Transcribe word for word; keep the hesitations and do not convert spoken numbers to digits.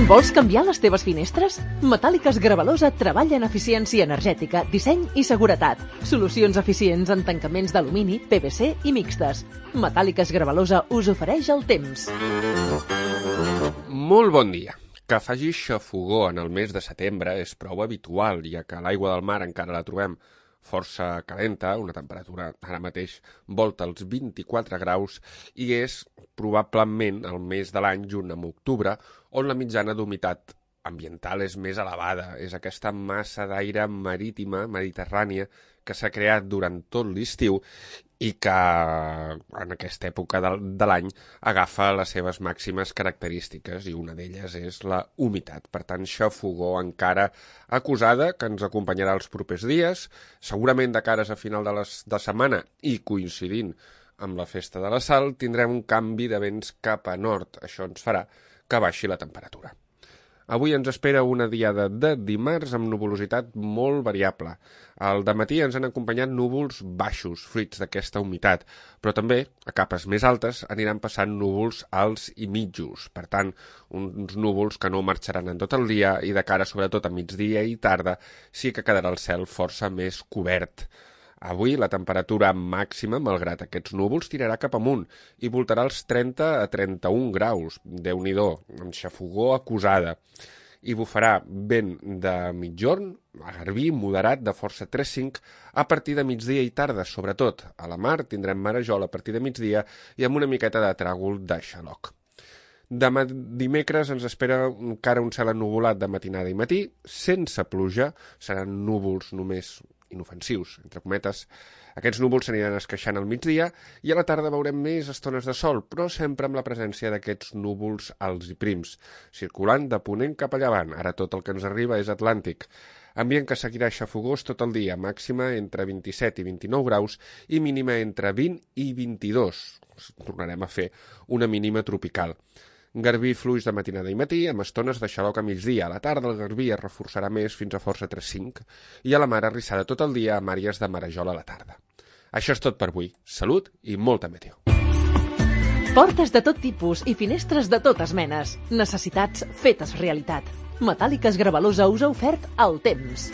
Vols canviar les teves finestres? Metàl·liques Gravalosa treballa en eficiència energètica, disseny i seguretat. Solucions eficients en tancaments d'alumini, P V C i mixtes. Metàl·liques Gravalosa us ofereix el temps. Molt bon dia. Que faci xafogó en el mes de setembre és prou habitual, ja que l'aigua del mar encara la trobem força calenta, una temperatura ara mateix volta als vint-i-quatre graus, i és probablement el mes de l'any, junt amb octubre, on la mitjana d'humitat ambiental és més elevada. És aquesta massa d'aire marítima, mediterrània, que s'ha creat durant tot l'estiu i que en aquesta època de l'any agafa les seves màximes característiques, i una d'elles és la humitat. Per tant, xafogó encara acusada, que ens acompanyarà els propers dies, segurament de cares a final de, les, de setmana i coincidint amb la festa de la Sal, tindrem un canvi de vents cap a nord. Això ens farà que baixi la temperatura. Avui ens espera una diada de dimarts amb nuvolositat molt variable. Al dematí ens han acompanyat núvols baixos, fruits d'aquesta humitat, però també, a capes més altes, aniran passant núvols alts i mitjos. Per tant, uns núvols que no marxaran en tot el dia i de cara sobretot a migdia i tarda sí que quedarà el cel força més cobert. Avui la temperatura màxima, malgrat aquests núvols, tirarà cap amunt i voltarà els trenta a trenta-un graus. Déu-n'hi-do, amb xafogó acusada. I bufarà vent de mitjorn, a garbí, moderat, de força tres cinc, a partir de migdia i tarda, sobretot. A la mar tindrem marejol a partir de migdia i amb una miqueta de tràgol de xaloc. Demà dimecres ens espera encara un cel ennuvolat de matinada i matí, sense pluja, seran núvols només inofensius, entre cometes. Aquests núvols s'aniran esqueixant al migdia i a la tarda veurem més estones de sol, però sempre amb la presència d'aquests núvols alts i prims, circulant de ponent cap a llevant. Ara tot el que ens arriba és atlàntic. Ambient que seguirà xafogós tot el dia, màxima entre vint-i-set i vint-i-nou graus i mínima entre vint i vint-i-dos. Tornarem a fer una mínima tropical. Garbí fluix de matinada i matí, amb estones de xaloc a migdia. A la tarda el garbí es reforçarà més fins a força tres cinc i a la mar arrissada tot el dia amb àrees de marejol a la tarda. Això és tot per avui. Salut i molta meteo. Portes de tot tipus i finestres de totes menes. Necessitats fetes realitat. Metàl·liques Gravalosa us ha ofert el temps.